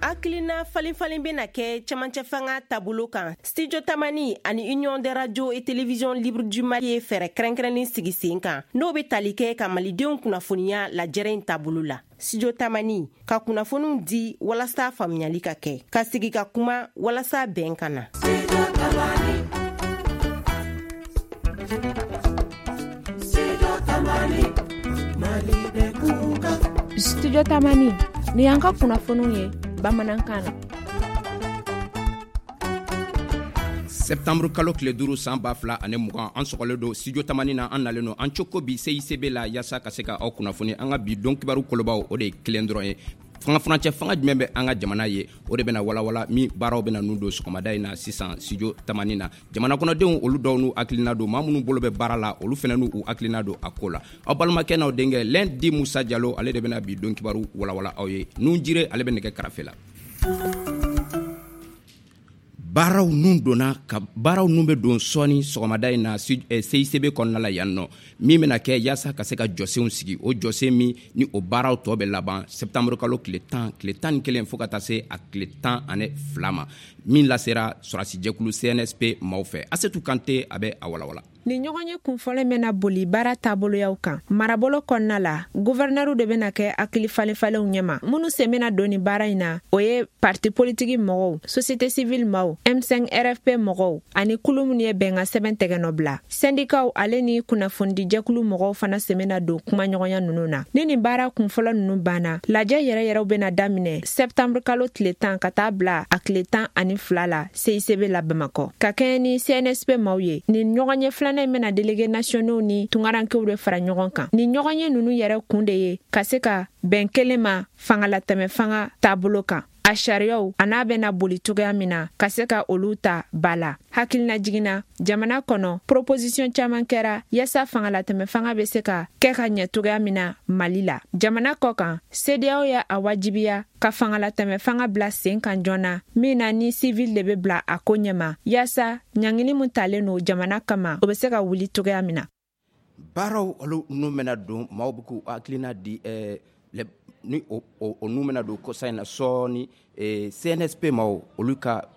Hakilina falenfalen bɛna kɛ cɛmancɛ fanga taabolo kan. Studio Tamani ani Union des radios et télévisions libres du Mali ye fɛɛrɛ kɛrɛnkɛrɛnnen sigi sen kan, n'o bɛ tali kɛ ka malidenw kunnafoniya lajɛrɛ in taabolo la. Studio Tamani ka kunnafoniw di walasa faamuyali ka kɛ, ka sigi ka kuma walasa bɛn ka na. Studio Tamani, nin y'an ka kunnafoniw ye bamanankan na. Septembre kalo tile 5 san 2020, an sɔgɔlen don Studio Tamani na. An nalen don an coko bi CICB la yaasa ka se ka aw kunnafoni an ka bi don kibaru kolobaw. O de ye kelen dɔrɔn ye: fanga furancɛ fanga jumɛn bɛ an ka jamana ye? O de bɛna walawala min baaraw bɛna nun don sɔgɔmada in na sisan Studio Tamani na. Jamana kɔnɔdenw, olu dɔw n'u hakilina don. Maa minnu bolo bɛ baara la, olu fana n'u hakilina don a ko la. Aw balimakɛ n'aw denkɛ Lɛndi Musa Jalo, ale de bɛna bi don kibaru walawala aw ye. Nun jire, ale bɛ nɛgɛ karafe la. Baaraw nun donna ka baaraw nun bɛ don sɔɔni sɔgɔmada in na CICB kɔnɔna la yan nɔ, min bɛna kɛ yaasa ka se ka jɔsenw sigi. O jɔsen min ni o baaraw tɔ bɛ laban septembre kalo tile 10, tile 11, fo ka taa se a tile 12 ma, min lasera sɔrɔdasijɛkulu CNSP maaw fɛ. Asetu Kante, a bɛ a walawala. Nin ɲɔgɔnye kunfɔlɔ bɛna boli baara taaboloyaw kan marabolo kɔnɔna la. Guvɛrnɛriw de bɛna kɛ hakili falenfalenw ɲɛma. Minnu sen bɛna don nin baara in na, o ye parti politiki mɔgɔw, société civile maaw, M5 RFP mɔgɔw ani kulu minnu ye bɛnkan sɛbɛn tɛgɛnɔ bila, sɛndikaw ale ni kunnafonidijɛkulu mɔgɔw fana sen bɛna don kumaɲɔgɔnya ninnu na. Ni nin baara kunfɔlɔ ninnu banna, lajɛ yɛrɛ yɛrɛw bɛna daminɛ sɛptanburu kalo tile 10 ka taa bila a tile 12 la CICB la Bamakɔ, ka kɛɲɛ ni CNSP maaw ye. Nin ɲɔgɔnye filanan in bɛna délégués nationaux ni tungarankew de fara ɲɔgɔn kan. Nin ɲɔgɔnye ninnu yɛrɛ kun de ye ka se ka bɛn kelen ma fangalatɛmɛ fanga taabolo kan, a sariyaw a n'a bɛna boli cogoya min na, ka se ka olu ta ba la. Hakilina jiginna, jamana kɔnɔ proposition caman kɛra yaasa fangalatɛmɛ fanga bɛ se ka kɛ ka ɲɛ cogoya min na Mali la. Jamana kɔ kan, CEDEAO y'a a wajibiya ka fangalatɛmɛ fanga bila sen kan joona, min na ni civil de bɛ bila a ko ɲɛma, yaasa ɲangili min talen don jamana kama, o bɛ se ka wuli cogoya min na. Baaraw olu nun bɛna don, maaw bɛ k'u hakilina di ni o nun bɛna don kɔsa in na sɔɔni. CNSP maaw, olu ka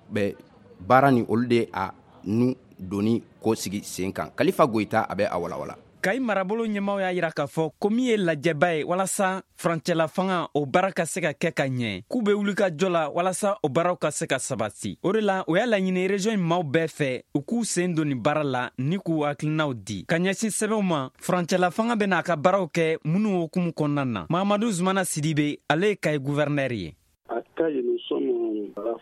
baara ni olu de a nun donni ko sigi sen kan. Kalifa Goyita, a bɛ a walawala. Kayi marabolo ɲɛmaw y'a yira k'a fɔ ko min ye lajɛba ye walasa furancɛla fanga o baara ka se ka kɛ ka ɲɛ, k'u be wuli ka jɔ la walasa o baaraw ka se ka sabati. O de la, o y'a laɲini région in maaw bɛɛ fɛ, u k'u sen don nin baara la ni k'u hakilinaw di ka ɲɛsin sɛbɛnw ma furancɛla fanga bɛna a ka baaraw kɛ minnu hukumu kɔnɔna na. Mahamadu Zumana Sidibe, ale ye Kayi guvɛrnɛri ye.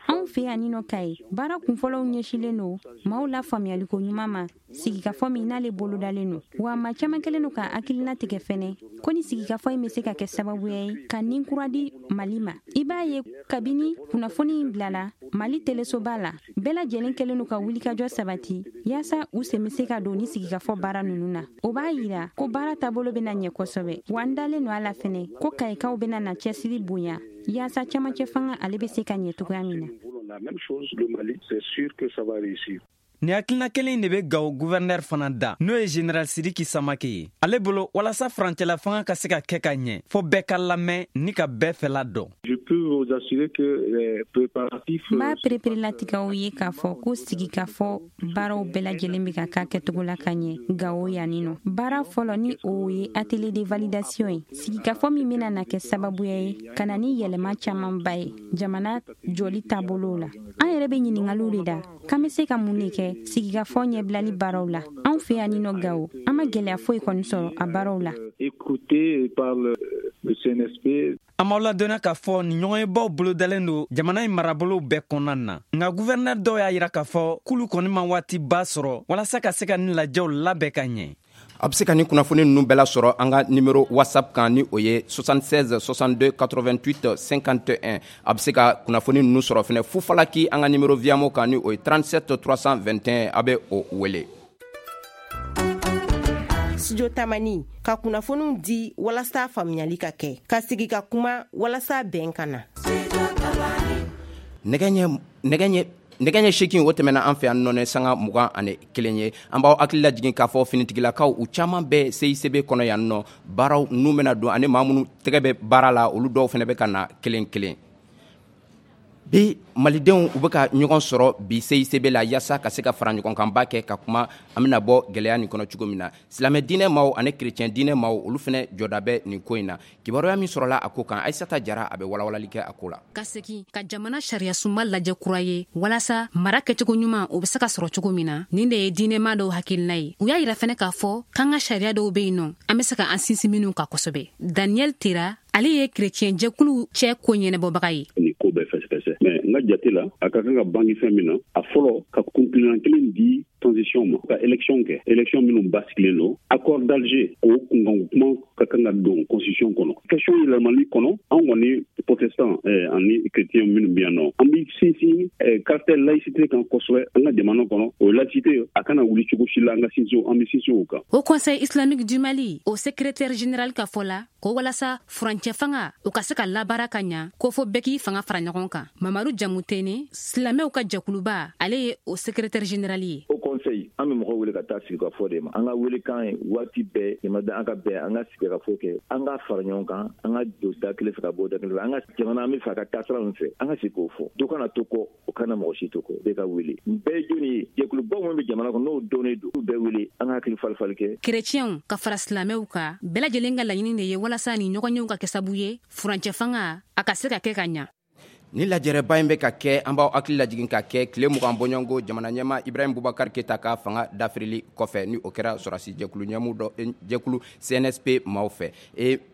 Anw fɛ yan nɔ Kayi, baara kunfɔlɔw ɲɛsilen don maaw la faamuyaliko ɲuman ma sigikafɔ min n'ale bolodalen don. Wa maa caman kɛlen don ka hakilina tigɛ fɛnɛ ko ni sigikafɔ in bɛ se ka kɛ sababuya ye ka nin kura di Mali ma. I b'a ye, kabini kunnafoni in bilala Mali telesoba la, bɛɛ lajɛlen kɛlen don ka wulikajɔ sabati yaasa u sen bɛ se ka don ni sigikafɔ baara ninnu na. O b'a yira ko baara taabolo bɛna ɲɛ kosɛbɛ. Wa n dalen don a la fɛnɛ ko kayikaw bɛna na cɛsiri bonya yaasa camancɛ fanga ale bɛ se ka ɲɛ cogoya min na. Nin hakilina kelen de bɛ Gawo guvɛrnɛr fana da, n'o ye général Sidiki Samake ye. Ale bolo, walasa furancɛla fanga ka se ka kɛ ka ɲɛ, fɔ bɛɛ ka lamɛn ni ka bɛɛ fɛla dɔn. N b'a pereperelatigɛw ye k'a fɔ ko sigikafɔ baaraw bɛɛ lajɛlen bɛ ka k'a kɛcogo la ka ɲɛ Gawo yanni nɔ. Baara fɔlɔ, ni o ye atelier de validation ye, sigikafɔ min bɛna na kɛ sababuya ye ka na ni yɛlɛma camanba ye jamana jɔli taabolow la. An yɛrɛ bɛ ɲiningaliw de da k'an bɛ se ka mun de kɛ sigikafɔ ɲɛbilali baaraw la. Anw fɛ yan nɔ Gawo, an ma gɛlɛya foyi kɔni sɔrɔ a baaraw la. An b'aw ladɔnniya k'a fɔ nin ɲɔgɔnyebaw bolodalen don jamana in marabolow bɛɛ kɔnɔna na. Nka guvɛrnɛr dɔw y'a yira k'a fɔ k'olu kɔni ma waatiba sɔrɔ walasa ka se ka nin lajɛw labɛn ka ɲɛ. A bɛ se ka nin kunnafoni ninnu bɛɛ lasɔrɔ an ka numéro WhatsApp kan, ni o ye 76 62 88 51. A bɛ se ka kunnafoni ninnu sɔrɔ fɛnɛ Fufalaki, an ka numéro Viamo kan, ni o ye 37 321, a bɛ o wele. Studio Tamani ka kunnafoniw di walasa faamuyali ka kɛ, ka sigi ka kuma walasa bɛn ka na. Nɛgɛ ɲɛ 8, o tɛmɛna an fɛ yan nɔ sanga 21 ye. An b'aw hakili lajigin k'a fɔ finitigilakaw, u caman bɛ CICB kɔnɔ yan nɔ. Baaraw nun bɛna don ani maa minnu tɛgɛ bɛ baara la, olu dɔw fana bɛ ka na kelen kelen. Bi malidenw u bɛ ka ɲɔgɔn sɔrɔ bi CICB la yaasa ka se ka fara ɲɔgɔnkanba kɛ ka kuma an bɛna bɔ gɛlɛya nin kɔnɔ cogo min na. Silamɛ diinɛ maaw ani chrétien diinɛ maaw, olu fana jɔda bɛ nin ko in na. Kibaruya min sɔrɔla a ko kan, Ayisata Jara a bɛ walawalali kɛ a ko la. Ka segin ka jamana sariyasunba lajɛ kura ye walasa mara kɛcogo ɲuman, o be se ka sɔrɔ cogo min na, nin de ye diinɛma dɔw hakilina ye. U y'a yira fɛnɛ k'a fɔ k'an ka sariya dɔw be yen nɔ, an be se ka an sinsin minw kan kosɛbɛ. Daniel Tera, ale ye kerecɛn jɛkulu cɛ ko ɲɛnɛbɔbaga ye. Nin ko bɛɛ fɛsɛfɛsɛ, mais n ka jate la, a ka kan ka bangi fɛn min na, a fɔlɔ, ka kuntilenna kelen di transition ma, ka élection kɛ, élection minnu basigilen don. Accord d'Alger, o kunkanko kuma ka kan ka don constitution kɔnɔ. Question yɛlɛmali kɔnɔ, an kɔni protestant ani chrétien minnu bɛ yan nɔ, an bɛ sinsin caractère laïcité kan kosɛbɛ an ka jamana kɔnɔ. O laïcité, a kana wuli cogo si la. An ka sinsin, an bɛ sinsin o kan. Haut Conseil islamique du Mali, o secrétaire général ka fɔ la ko walasa furancɛ fanga, o ka se ka labaara ka ɲa, ko fo bɛɛ k'i fanga fara ɲɔgɔn kan. Mamadu Jamutene, silamɛw ka jɛkuluba, ale ye o secrétaire général ye. Haut Conseil, an bɛ mɔgɔw wele ka taa sigi ka fɔ de ma. An ka welekan ye waati bɛɛ jamana, an ka bɛn, an ka sigi ka fɔ kɛ, an ka fara ɲɔgɔn kan, an ka don da kelen fɛ ka bɔ da kelen fɛ. An ka jamana, an bɛ fɛ a ka taa sira min fɛ, an ka sigi k'o fɔ. Dɔ kana to kɔ, o kana mɔgɔ si to kɔ. Bɛɛ ka wele. Bɛɛ ye jɔnni ye? Jɛkuluba minnu bɛ jamana kɔnɔ, n'o dɔnnen don, olu bɛɛ wele, an ka hakili fali-fali kɛ. Kerecɛnw ka fara silamɛw kan, bɛɛ lajɛlen ka laɲini de ye walasa ni ɲɔgɔnyew ka kɛ sabu ye furancɛ fanga, a ka se ka kɛ ka ɲa. Ni lajɛrɛba in bɛ ka kɛ, an b'aw hakili lajigin ka kɛ tile 20 bɔɲɔgɔnko jamana ɲɛma Ibrahim Bubakar Keyita ka fanga dafirili kɔfɛ, ni o kɛra sɔrɔsi jɛkulu ɲɛmu dɔ, jɛkulu CNSP maaw fɛ.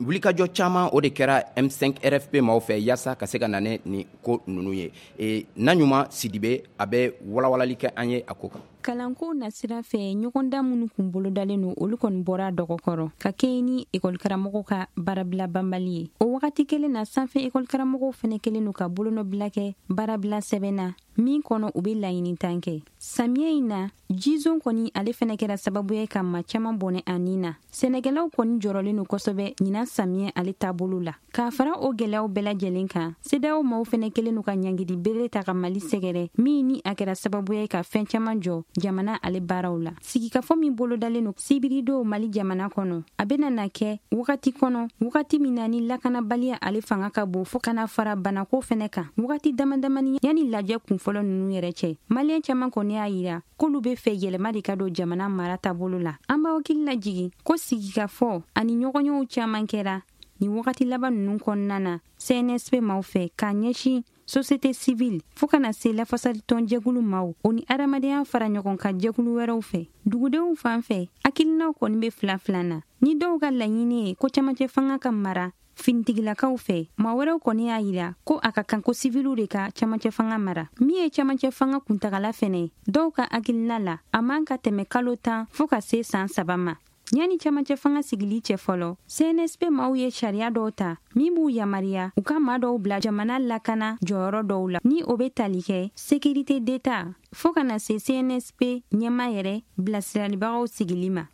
Wulikajɔ caman, o de kɛra M5 RFP maaw fɛ yaasa ka se ka na nin ko ninnu ye. Na ɲuman Sidibe, a bɛ walawalali kɛ an ye a ko kan. Kalanko nasira fɛ, ɲɔgɔndan minnu kun bolodalen don, olu kɔni bɔra dɔgɔkɔrɔ ka kɛɲɛ ni ekɔlikaramɔgɔw ka baarabila banbali ye. O wagati kelen na, sanfɛ ekɔlikaramɔgɔw fɛnɛ kelen don ka bolonɔbila kɛ baarabila sɛbɛn na min kɔnɔ, u be laɲini tan kɛ. Samiya in na, jizon kɔni, ale fɛnɛ kɛra sababu ye ka maa caaman bɔnɛ a nin na. Sɛnɛkɛlaw kɔni jɔrɔlen don kosɛbɛ ɲinan samiya ale taabolo la. K'a fara o gwɛlɛyaw bɛɛ lajɛlen kan, CEDEAO maaw fɛnɛ kelen don ka ɲangidi bere ta ka Mali sɛgɛrɛ, min ni a kɛra sababu ye ka fɛn caaman jɔ jamana ale baaraw la. Sigikafɔ min bolodalen don sibiridon Mali jamana kɔnɔ, a bena na kɛ wagati kɔnɔ, wagati min na ni lakanabaliya ale fanga ka bon, fɔɔ kana fara banako fɛnɛ kan. Wagati dama damani yanni lajɛ kunfɔlɔ nunu yɛrɛ cɛ, maliyɛn caaman kɔni y'a yira k'olu be fɛ yɛlɛma de ka don jamana mara taabolo la. An b'aw hakili lajigin ko sigikafɔ ani ɲɔgɔnyew caaman kɛra nin wagati laban nunu kɔnɔna na CNSP maaw fɛ k'a ɲɛsin société civile, fɔɔ kana se lafasalitɔn jɛkulu maaw, o ni adamadenya fara ɲɔgɔn kan jɛkulu wɛrɛw fɛ. Dugudenw fan fɛ, hakilinaw kɔni be fila fila na. Ni dɔw ka laɲini ye ko camancɛ fanga ka mara finitigilakaw fɛ, maa wɛrɛw kɔni y'a yira ko a ka kan ko siviliw de ka camancɛ fanga mara. Min ye camancɛ fanga kuntagala fɛnɛ, dɔw ka hakilina la, a man ka tɛmɛ kalo 10 fɔɔ ka se san 3 ma. Yanni camancɛ fanga sigili cɛ fɔlɔ, CNSP maaw ye sariya dɔw ta min b'u yamariya u ka maa dɔw bila jamana lakana jɔyɔrɔ dɔw la, ni o be tali kɛ sécurité d'État, fɔɔ ka na se CNSP ɲɛma yɛrɛ bilasiralibagaw sigili ma.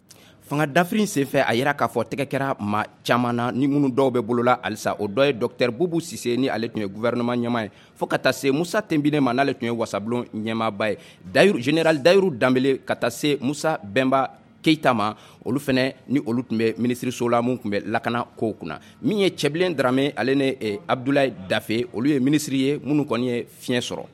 Fanga dafiri senfɛ, a yira k'a fɔ tɛgɛ kɛra ma caman na, ni minnu dɔw bɛ bolola halisa. O dɔ ye Dr Bubu Sise, ni ale tun ye gouvernement ɲɛma ye, fɔɔ ka taa se Musa Tenbine ma, n'ale tun ye wasabulon ɲɛmaaba ye, Dayiru, général Dayiru Danbele, ka taa se Musa Bɛnba Keyita ma, olu fɛnɛ ni olu tun bɛ minisiriso la mun tun bɛ lakana kow kunna. Min ye Cɛbilen Darame, ale ni Abdulayi Dafe, olu ye minisiri ye minnu kɔni ye fiɲɛ sɔrɔ.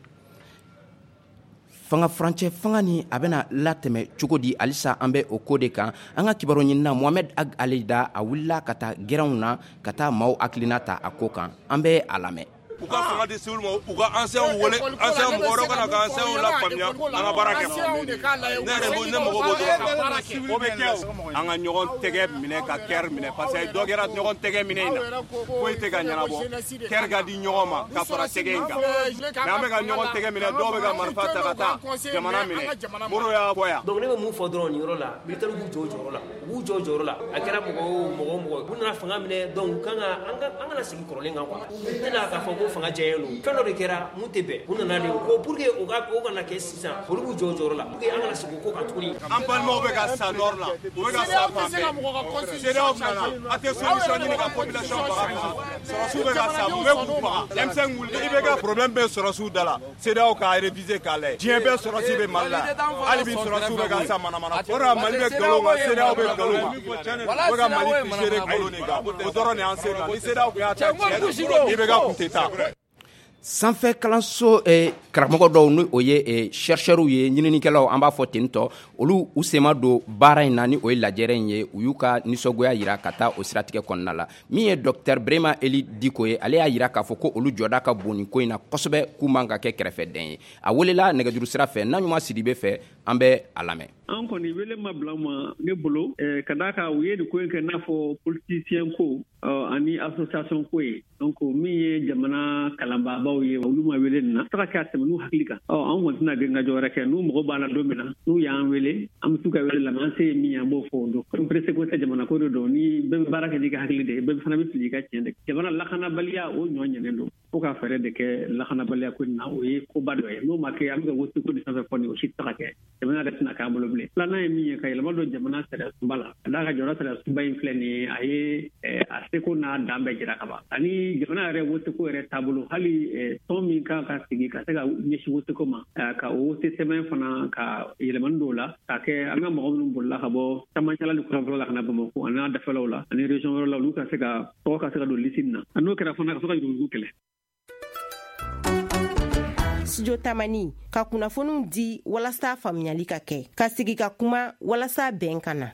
Fanga furancɛ fanga ni a bɛna latɛmɛ cogo di? Halisa an bɛ o ko de kan. An ka kibaru ɲinina Mohamɛd Ag Alida, a wulila ka taa gɛrɛnw na ka taa maaw hakilina ta a ko kan. An bɛ a lamɛn. U ka fanga di civil ma, u ka anciens wele, anciens mɔgɔ wɛrɛw ka na ka anciens la faamuya, an ka baara kɛ. Ne yɛrɛ, ne mago b'o dɔrɔn. O bɛ kɛ o. An ka ɲɔgɔn tɛgɛ minɛ ka kɛri minɛ, parce que dɔ kɛra ɲɔgɔn tɛgɛ minɛ in na, foyi tɛ ka ɲɛnabɔ. Kɛri ka di ɲɔgɔn ma ka fara tɛgɛ in kan, mais an bɛ ka ɲɔgɔn tɛgɛ minɛ, dɔw bɛ ka marifa ta ka taa jamana minɛ. Moro y'a fɔ yan. Donc ne bɛ mun fɔ dɔrɔn nin yɔrɔ la? Militaire b'u jɔ u jɔyɔrɔ la, u b'u jɔ u jɔyɔrɔ la. A kɛra mɔgɔ o mɔgɔ o mɔgɔ, u nana fanga minɛ, donc u kan ka an kana segin kɔrɔlen kan quoi. U tɛna k'a fɔ ko fanga jɛlen don. Fɛn dɔ de kɛra mun tɛ bɛn, u nana de ko pour que o ka o kana kɛ sisan, olu b'u jɔ u jɔyɔrɔ la pour que an kana segin o ko kan tuguni. An balimaw bɛ ka sa nord la, u bɛ ka sa fan bɛɛ. CEDEAO nana, a tɛ solution ɲini ka population faga. Sɔrɔsiw bɛ ka sa, mun bɛ k'u faga? M5 wuli, i bɛ ka problème bɛ sɔrɔsiw da la. CEDEAO k'a réviser k'a lajɛ. Diɲɛ bɛɛ sɔrɔsi bɛ Mali la, hali bi sɔrɔsiw bɛ ka sa manamana. O de la Mali bɛ nkalon kan, CEDEAO bɛ nkalon kan, u bɛ ka Mali figer nkalon de kan. O dɔrɔn de y'an se kan. Ni CEDEAO tun y'a ta tiɲɛ na, IBK tun tɛ taa. Sanfɛ kalanso karamɔgɔ dɔw, ni o ye chercheurs ye, ɲininikɛlaw an b'a fɔ ten tɔ, olu u sen ma don baara in na, ni o ye lajɛrɛ in ye. U y'u ka nisɔngoya yira ka taa o siratigɛ kɔnɔna la. Min ye docteur Brema Eli Diko ye, ale y'a yira k'a fɔ ko olu jɔda ka bon nin ko in na kosɛbɛ, k'u man ka kɛ kɛrɛfɛdɛn ye. A welela nɛgɛjuru sira fɛ Naɲuman Sidibe fɛ, an bɛ a lamɛn. An kɔni wele ma bila ma ne bolo, ka d'a kan u ye nin ko in kɛ n'a fɔ politicien ko ani association ko ye. Donc min ye jamana kalanbaabaw ye, olu ma wele nin na taga kɛ a tɛmɛ n'u hakili kan. An kɔni tɛna grin ka jɔ wɛrɛ kɛ. N'u mago b'a la don min na, n'u y'an wele, an bɛ t'u ka wele lamɛn. An se ye min ye, an b'o fɔ o don. Comme pressé ko tɛ, jamana ko de don. Ni bɛɛ bɛ baara kɛ n'i ka hakili de ye, bɛɛ fana bɛ fili i ka tiɲɛ de. Jamana lakanabaliya, o ɲɔ ɲɛnen don fo ka fɛɛrɛ de kɛ lakanabaliya ko in na. O ye koba dɔ ye. N'o ma kɛ, an bɛ ka wote ko ni fɛn fɛn fɔ nin, o si tɛ se ka kɛ. Jamana yɛrɛ tɛna k'an bolo bilen. Filanan ye min ye, ka yɛlɛma don jamana sariya sunba la, ka d'a kan jamana sariya sunba in filɛ nin ye, a ye a seko n'a dan bɛɛ jira ka ban. Ani jamana yɛrɛ woteko yɛrɛ taabolo, hali tɔn min kan ka sigi ka se ka ɲɛsin woteko ma, ka o wote sɛbɛn fana ka yɛlɛmani dɔw la, k'a kɛ an ka mɔgɔ minnu bolila ka bɔ camancɛla ni kɔrɔnfɛlaw la ka na Bamakɔ ani n'a dafɛlaw la ani région wɛrɛw la, olu ka se ka tɔgɔ ka se ka don lisi in na. A n'o kɛra fana, ka se ka yuruguyurugu kɛlɛ. Studio Tamani ka kunnafoniw di walasa faamuyali ka kɛ, ka sigi ka kuma walasa bɛn ka na.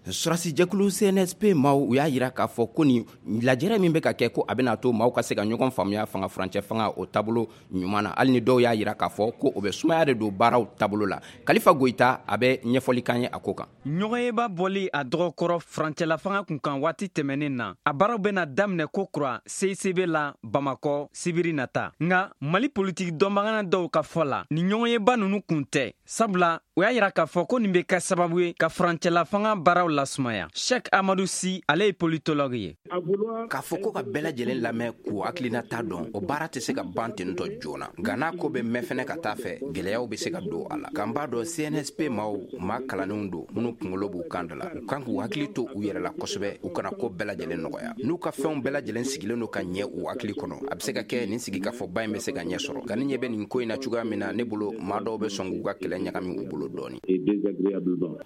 Sɔrɔdasijɛkulu CNSP maaw, u y'a yira k'a fɔ ko nin lajɛrɛ min bɛ ka kɛ, ko a bɛna to maaw ka se ka ɲɔgɔn faamuya fanga furancɛ fanga o taabolo ɲuman na, hali ni dɔw y'a yira k'a fɔ ko o bɛ sumaya de don baaraw taabolo la. Kalifa Goyita, a bɛ ɲɛfɔli kan ye a ko kan. Ɲɔgɔnyeba bɔli a dɔgɔkɔrɔ furancɛla fanga kun kan waati tɛmɛnen na, a baaraw bɛna daminɛ ko kura CICB la Bamakɔ sibiri nata. Nka Mali politiki dɔnbagana dɔw ka fɔ la, nin ɲɔgɔnyeba ninnu kun tɛ, sabula u y'a yira k'a fɔ ko nin bɛ kɛ sababu ye ka furancɛla fanga baaraw lasumaya. Sheikh Amadu Si, ale ye politologue ye. K'a fɔ ko ka bɛɛ lajɛlen lamɛn k'u hakilinata dɔn, o baara tɛ se ka ban ten tɔ joona. Nka n'a ko bɛ mɛn fɛnɛ ka taa fɛ, gɛlɛyaw bɛ se ka don a la. Nka n b'a dɔn, CNSP maaw, maa kalannenw don minnu kunkolo b'u kan da la. U kan k'u hakili to u yɛrɛ la kosɛbɛ, u kana ko bɛɛ lajɛlen nɔgɔya. N'u ka fɛnw bɛɛ lajɛlen sigilen don ka ɲɛ u hakili kɔnɔ, a bɛ se ka kɛ nin sigikafɔba in bɛ se ka ɲɛ sɔrɔ. Nka ne ɲɛ bɛ nin ko in na cogoya min na, ne bolo, maa dɔw bɛ sɔn k'u ka kɛlɛ ɲagami u bolo dɔɔni.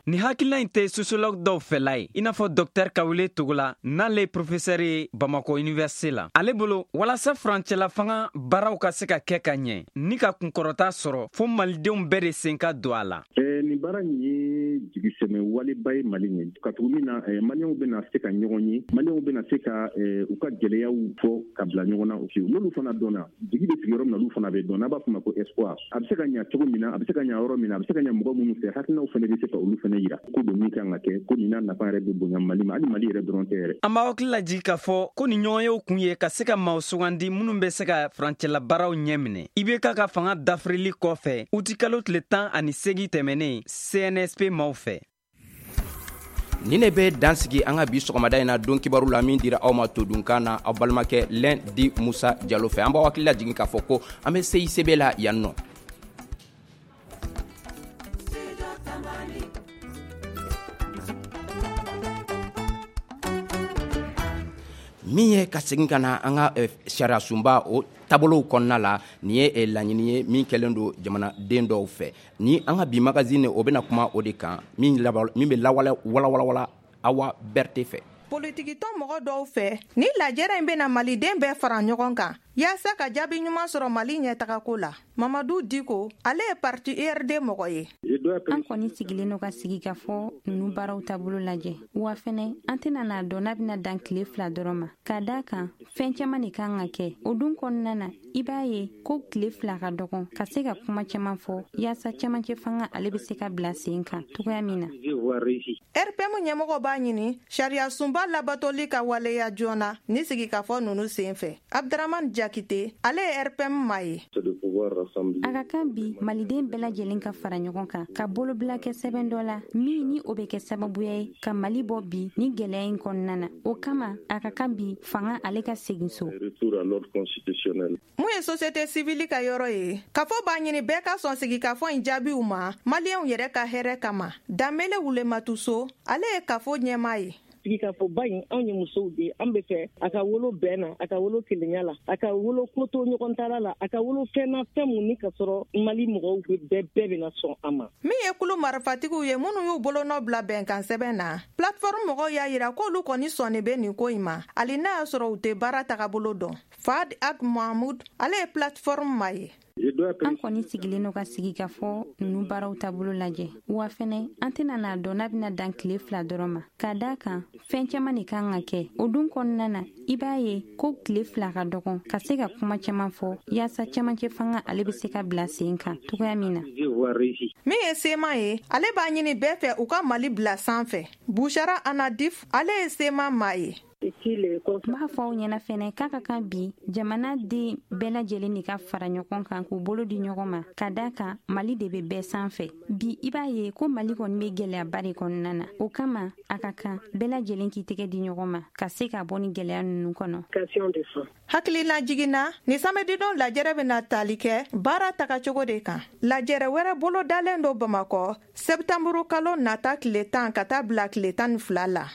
Nin hakilina in tɛ sociologue dɔw fɛla ye, i n'a fɔ docteur Kawule Togola, n'ale ye professeur ye Bamakɔ université la. Ale bolo, walasa furancɛla fanga baaraw ka se ka kɛ ka ɲɛ ni ka kunkɔrɔta sɔrɔ, fo malidenw bɛɛ de sen ka don a la. Nin baara in ye jigisɛmɛ waleba ye Mali ɲɛ, ka tugu min na, maliyɛnw bɛna se ka ɲɔgɔn ye, maliyɛnw bɛna se ka u ka gɛlɛyaw fɔ ka bila ɲɔgɔn na. N'olu fana dɔnna, jigi bɛ sigi yɔrɔ min na, olu fana bɛ dɔn, n'a b'a fɔ ma ko espoir. A bɛ se ka ɲa cogo min na, a bɛ se ka ɲa yɔrɔ min na, a bɛ se ka ɲa mɔgɔ minnu fɛ, hakilinaw fana bɛ se ka olu fana yira ko don min kan ka kɛ, ko nin n'a nafa yɛrɛ bɛ bonya Mali ma, hali Mali yɛrɛ dɔrɔn tɛ yɛrɛ. An b'aw hakili lajigin k'a fɔ ko nin ɲɔgɔnyew kun ye ka se ka maaw sugandi minnu bɛ se ka furancɛla baaraw ɲɛ minɛ IBK ka fanga dafirili kɔfɛ utikalo tile 18 tɛmɛnen CNSP maaw fɛ. Nin de bɛ dansigi an ka bi sɔgɔmada in na don kibaru la min dira aw ma todunkan na aw balimakɛ Lɛn di Musa Jalo fɛ. An b'aw hakili lajigin k'a fɔ ko an bɛ CICB la yan nɔ. Min ye ka segin ka na an ka sariya sunba o taabolow kɔnɔna la, nin ye laɲini ye min kɛlen don jamanaden dɔw fɛ. Ni an ka bi magazine, o bɛna kuma o de kan, min bɛ walawala Awa Berete fɛ. Politikitɔn mɔgɔ dɔw fɛ, ni lajɛrɛ in bɛna maliden bɛɛ fara ɲɔgɔn kan yaasa ka jaabi ɲuman sɔrɔ Mali ɲɛtagako la. Mamadu Diko, ale ye parti URD mɔgɔ ye. An kɔni sigilen don ka sigi ka fɔ ninnu baaraw taabolo lajɛ. Wa fɛnɛ, an tɛna n'a dɔn n'a bɛna dan tile 2 dɔrɔn ma, ka da kan fɛn caman de kan ka kɛ o dun kɔnɔna na. I b'a ye ko tile 2 ka dɔgɔn ka se ka kuma caman fɔ yaasa camancɛ fanga ale bɛ se ka bila sen kan cogoya min na. RPM ɲɛmɔgɔ b'a ɲini sariya sunba labatoli ka waleya joona ni sigikafɔ ninnu sen fɛ. Abdramane Jakite, ale ye RPM maa ye. A ka kan bi maliden bɛɛ lajɛlen ka fara ɲɔgɔn kan ka bolobila kɛ sɛbɛn dɔ la min ni o bɛ kɛ sababuya ye ka Mali bɔ bi ni gɛlɛya in kɔnɔna na. O kama, a ka kan bi fanga ale ka segin so. Mun ye société civile ka yɔrɔ ye, kafo b'a ɲini bɛɛ ka sɔn sigikafɔ in jaabiw ma maliyɛnw yɛrɛ ka hɛrɛ kama. Danbele Wulematuso, ale ye kafo ɲɛmaa ye. Sigikafɔba in, anw ye musow de ye, an bɛ fɛ a ka wolo bɛn na, a ka wolo kelenya la, a ka wolo koto ɲɔgɔn tala la, a ka wolo fɛn na, fɛn mun ni ka sɔrɔ Mali mɔgɔw bɛɛ bɛɛ bɛna sɔn a ma. Min ye kulu marifatigiw ye minnu y'u bolonɔ bila bɛnkan sɛbɛn na, plateforme mɔgɔw y'a yira k'olu kɔni sɔnni bɛ nin ko in ma, hali n'a y'a sɔrɔ u tɛ baara tagabolo dɔn. Fad Ag Mahmoud, ale ye plateforme maa ye. An kɔni sigilen don ka sigikafɔ nunu baaraw taabolo lajɛ, wa fɛnɛ an tɛna n'a dɔn n'a bɛna dan tile 2 dɔrɔn ma, ka da kan fɛn caman de kan ka kɛ. O dun kɔnɔna na, i b'a ye ko tile 2 ka dɔgɔn ka se ka kuma caman fɔ yaasa camancɛ fanga ale bɛ se ka bila sen kan cogoya min na. Min ye CMA ye, ale b'a ɲini bɛɛ fɛ u ka Mali bila sanfɛ. Bushara Anadif, ale ye CMA maa ye. N b'a fɔ aw ɲɛna fɛnɛ k'a ka kan bi jamana den bɛɛ lajɛlen de ka fara ɲɔgɔn kan k'u bolo di ɲɔgɔn ma, ka da kan Mali de bɛ bɛɛ sanfɛ. Bi i b'a ye ko Mali kɔni bɛ gɛlɛyaba de kɔnɔna na. O kama a ka kan bɛɛ lajɛlen k'i tɛgɛ di ɲɔgɔn ma ka se ka bɔ ni gɛlɛya ninnu kɔnɔ. Hakililajigin na, ni samedidon lajɛrɛ bɛna tali kɛ baara tagacogo de kan. Lajɛrɛ wɛrɛ bolodalen don Bamakɔ sɛptanburu kalo nata tile 10 ka taa bila tile 12 la.